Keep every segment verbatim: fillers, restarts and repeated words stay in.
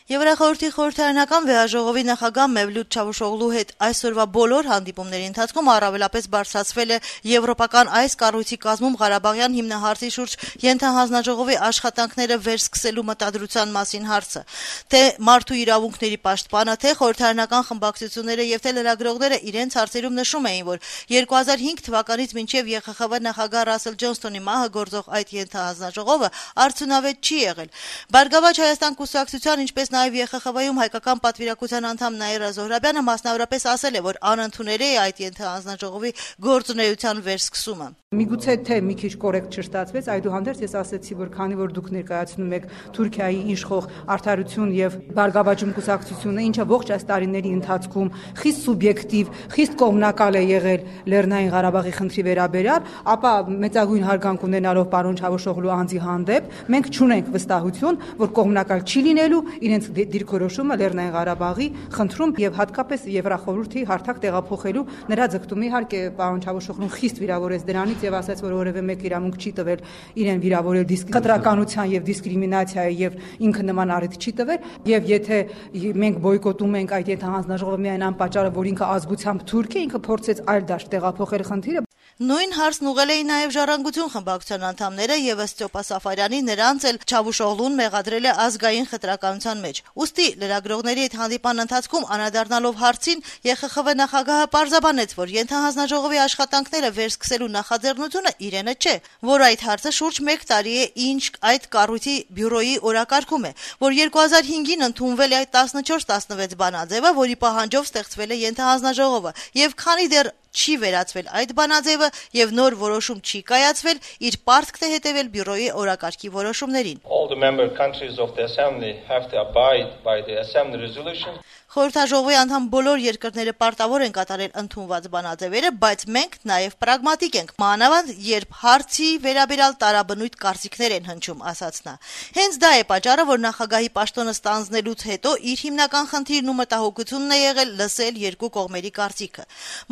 Եվրախորհրդի խորհրդարանական վեհաժողովի նախագահ Մևլութ Չավուշօղլու հետ այսօրվա բոլոր հանդիպումների ընթացքում առավելապես բարձրացվել է եվրոպական այս կառույցի կազմում Ղարաբաղյան հիմնահարցի շուրջ ենթահանձնաժողովի աշխատանքները վերսկսելու մտադրության մասին հարցը։ Թե մարդու իրավունքների պաշտպանը, թե խորհրդարանական խմբակցությունները եւ թե լրագրողները իրենց հարցերում նշում էին, որ երկու հազար հինգ թվականից մինչեւ Ե Խ Խ V նախագահ Ռասել Ջոնսթոնի մահը գործող այդ ենթահանձնաժողովը արդյունավետ չի եղել։ Բարգավաճ Հայաստան կուսակցության, ինչպես նաև Ե Խ Խ V-ում հայկական պատվիրակության անդամ Նաիրա Զոհրաբյանը մասնավորապես ասել է, որ անընդունել է այդ ենթահանձնաժողովի գործունեության վերսկսումը։ Միգուցե թե մի քիչ կորեկտ չստացվեց, այդուհանդերձ ես ասացի, որ քանի որ դուք ներկայացնում եք Թուրքիայի իշխող Արդարություն եւ Բարգավաճում կուսակցությունը, ինչը ողջ այս տարիների ընթացքում խիստ սուբյեկտիվ, խիստ կողմնակալ է եղել Լեռնային Ղարաբաղի խնդրի վերաբերյալ, ապա մեծագույն հարգանք ունենալով պարոն Չավուշօղլու անձի հանդեպ, մենք չունենք վստահություն, որ կողմնակալ չի լինելու իրենց դիրքորոշումը Լեռնային Ղարաբաղի խնդրում եւ հատկապես Եվրախորհրդի հարթակ տեղափոխելու նրա ձգտումը։ Իհարկե պարոն Չավուշօղլուն խիստ վիրավորեց դրանից եւ ասաց, որ որևէ մեկ իրավունք չի տվել իրեն վիրավորել դիսկրիմինացիան եւ դիսկրիմինացիայի եւ ինքը նման առիթ չի տվել, եւ եթե մենք բոյկոտում ենք այդ ենթահանձնաժողովը միայն անպատճառ, որ ինքը ազգությամբ թուրք է, ինքը փորձեց այլ դաշտ տեղափոխել խնդիրը։ Նույն հարցն ուղղել էին նաև Ժառանգություն խմբակցության անդամները եւ ըստ Ստյոպա Սաֆարյանի նրանց էլ Չավուշօղլուն մեղադրել է ազգային խտրականության մեջ։ Ուստի լրագրողների հետ հանդիպան ընթացքում անդրադառնալով հարցին Ե Խ Խ V նախագահը պարզաբանեց, որ ենթահանձնաժողովի աշխատանքները վերսկսելու նախաձեռնությունը իրենը չէ, որ այդ հարցը շուրջ մեկ տարի է ինչ այդ կառույցի բյուրոյի օրակարգում է, որ երկու հազար հինգին ընդունվել է այդ տասնչորս տասնվեց բանաձևը, որի պահանջով ստեղծվել է ենթահանձնաժողովը, եւ քանի դեռ չի վերացվել այդ բանաձևը եւ նոր որոշում չի կայացվել, իր պարտքն է հետեւել բյուրոյի օրակարգի որոշումներին։ All the member countries of the assembly have to abide by the assembly resolutions. Խորհրդաժողովի անդամ բոլոր երկրները պարտավոր են կատարել ընդունված բանաձևերը, բայց մենք նաև պրագմատիկ ենք, մանավանդ երբ հարցի վերաբերյալ տարաբնույթ կարծիքներ են հնչում, ասաց նա։ Հենց դա է պատճառը, որ նախագահի պաշտոնը ստանձնելուց հետո իր հիմնական խնդիրն ու մտահոգությունն է եղել լսել երկու կողմերի կարծիքը։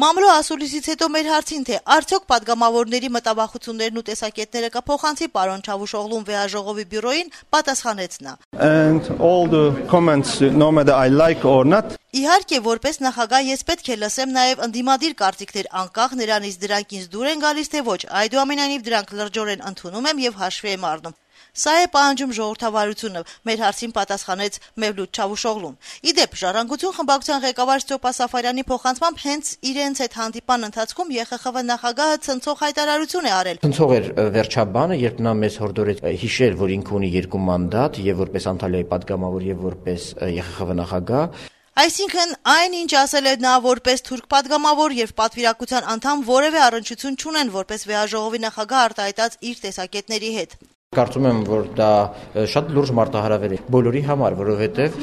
Մամլո ասուլիսից հետո մեր հարցին, թե արդյոք падգամավորների մտավախություններն ու տեսակետները կփոխանցի պարոն Չավուշօղլուն վեհաժողովի բյուրոյին, պատասխանեց նա. And all the comments, no matter I like or not. Իհարկե, որպես նախագահ ես պետք է լսեմ նաև ընդդիմադիր կարծիքներ, անկախ նրանից դրանք ինձ դուր են գալիս թե ոչ, այդուամենայնիվ դրանք լրջորեն ընդունում եմ եւ հաշվի եմ առնում։ Սա է պահանջում ժողովրդավարությունը, մեր հարցին պատասխանեց Մևլութ Չավուշօղլուն։ Իդեպ, Ժառանգություն խմբակցության ղեկավար Ստյոպա Սաֆարյանի փոխանցմամբ հենց իրենց հետ հանդիպան ընթացքում Ե Խ Խ V նախագահը ցնցող հայտարարություն է արել։ Ցնցող էր վերջաբանը, երբ նա մեզ հորդորեց հիշել, որ ինքը ունի երկու մանդատ, եւ որպես Անտալիայի падգամավոր եւ որպես Ե Խ Խ V նախագահ։ Այսինքն այն, ինչ ասել է նա որպես թուրք падգամավոր եւ պատվիրակության անդամ, որևէ առնչություն չունեն որպես վեհաժողովի նախագահ արտահայտած իր տեսակետների հետ։ Կարծում եմ, որ դա շատ լուրջ մարտահրավեր է բոլորի համար, որովհետև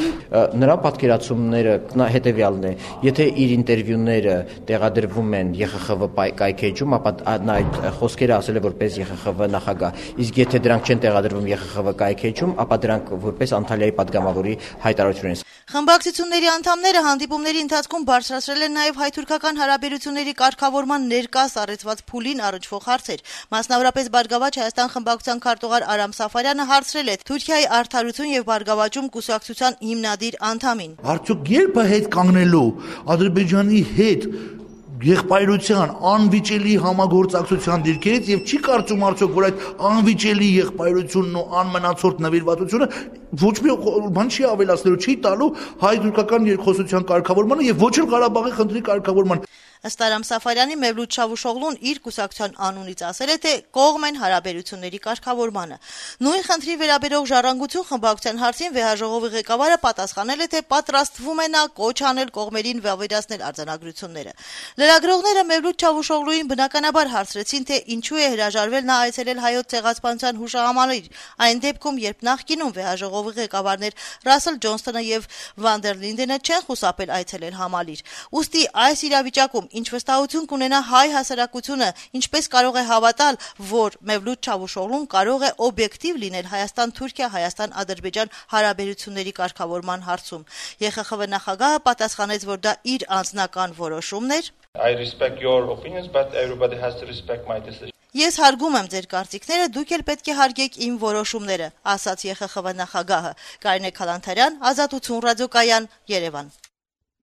նրա պատկերացումները հետևյալն է. եթե իր ինտերվյուները տեղադրվում են Ե Խ Խ V կայքեջում, ապա նա այդ խոսքերը ասել է որպես Ե Խ Խ V նախագահ, իսկ եթե դրանք չեն տեղադրվում Ե Խ Խ V կայքեջում, ապա դրանք որպես Անտալիայի падգամավորի հայտարարություն են։ Խմբակցությունների անդամները հանդիպումների ընթացքում բարձրացրել են նաև հայ-թուրքական հարաբերությունների կարգավորման ներկա սառեցված փուլին առնչվող հարցեր։ Մասնավորապես Բարգավաճ Հայաստան խմբակցության քարտուղար Արամ Սաֆարյանը հարցրել է Թուրքիայի Արդարություն եւ Բարգավաճում կուսակցության հիմնադիր անդամին. Արդյոք երբ է հետ կանգնելու Ադրբեջանի հետ եղբայրության անվիճելի համագործակցության դիրքերից եւ չի կարծում արդյոք, որ այդ անվիճելի եղբայրությունն ու անմնացորդ նվիրվածությունը ոչ մի բան չի ավելացնելու, չի տալու հայ-թուրքական երկխոսության կարգավորմանը եւ ոչ էլ Ղարաբաղի խնդրի կարգավորման։ Ըստ Արամ Սաֆարյանի, Մևլութ Չավուշօղլուն իր կուսակցության անունից ասել է, թե կողմ են հարաբերությունների կարգավորմանը։ Նույն խնդրի վերաբերող Ժառանգություն խմբակցության հարցին վեհաժողովի ղեկավարը պատասխանել է, թե պատրաստվում է նա կոչ անել կողմերին վավերացնել արձանագրությունները։ Լրագրողները Մևլութ Չավուշօղլուին բնականաբար հարցրեցին, թե ինչու է հրաժարվել նա այցելել Հայոց ցեղասպանության հուշահամալիր, այն դեպքում, երբ նախկինում վեհաժողովի ղեկավարներ Ռասել Ջոնսթոնը եւ Վան դեր Լինդենը չեն խուսափել այցելել համալիր։ Ուստի այս իրավիճակում ինչ վստահություն կունենա հայ հասարակությունը, ինչպես կարող է հավատալ, որ Մևլութ Չավուշօղլուն կարող է օբյեկտիվ լինել Հայաստան-Թուրքիա, Հայաստան-Ադրբեջան հարաբերությունների կարգավորման հարցում։ Ե Խ Խ V նախագահը պատասխանեց, որ դա իր անձնական որոշումն էր։ I respect your opinions, but everybody has to respect my decision. Ես հարգում եմ ձեր կարծիքները, դուք էլ պետք է հարգեք իմ որոշումները, ասաց ԵԽԽՎ նախագահը։ Կարինե Քալանթարյան, Ազատություն ռադիոկայան, Երևան։